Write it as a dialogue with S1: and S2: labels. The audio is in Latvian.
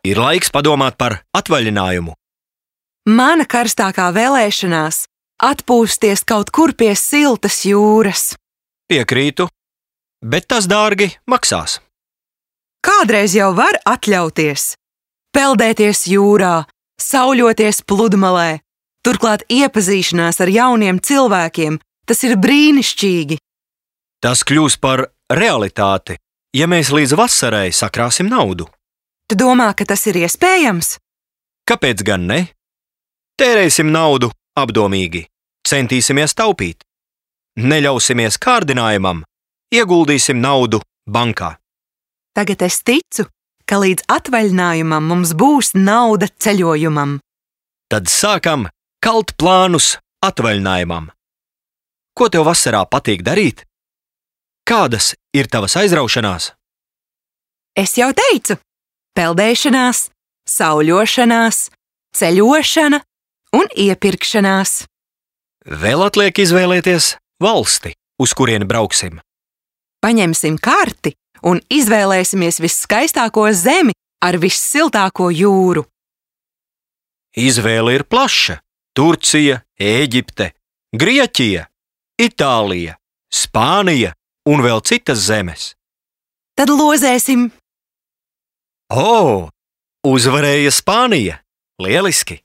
S1: Ir laiks padomāt par atvaļinājumu.
S2: Mana karstākā vēlēšanās atpūsties kaut kur pie siltas jūras.
S1: Piekrītu, bet tas dārgi maksās.
S2: Kādreiz jau var atļauties peldēties jūrā, sauļoties pludmalē, turklāt iepazīšanās ar jauniem cilvēkiem, tas ir brīnišķīgi.
S1: Tas kļūs par realitāti, ja mēs līdz vasarai sakrāsim naudu.
S2: Tu domā, ka tas ir iespējams?
S1: Kāpēc gan ne? Tērēsim naudu apdomīgi, centīsimies taupīt. Neļausimies kārdinājumam, ieguldīsim naudu bankā.
S2: Tagad es ticu, ka līdz atvaļinājumam mums būs nauda ceļojumam.
S1: Tad sākam kalt plānus atvaļinājumam. Ko tev vasarā patīk darīt? Kādas ir tavas aizraušanās?
S2: Es jau teicu, peldēšanās, sauļošanās, ceļošana un iepirkšanās.
S1: Vēl atliek izvēlēties valsti, uz kurieni brauksim.
S2: Paņemsim karti un izvēlēsimies visskaistāko zemi ar vissiltāko jūru.
S1: Izvēle ir plaša. Turcija, Ēģipte, Grieķija, Itālija, Spānija un vēl citas zemes.
S2: Tad lozēsim.
S1: O, uzvarēja Spānija! Lieliski!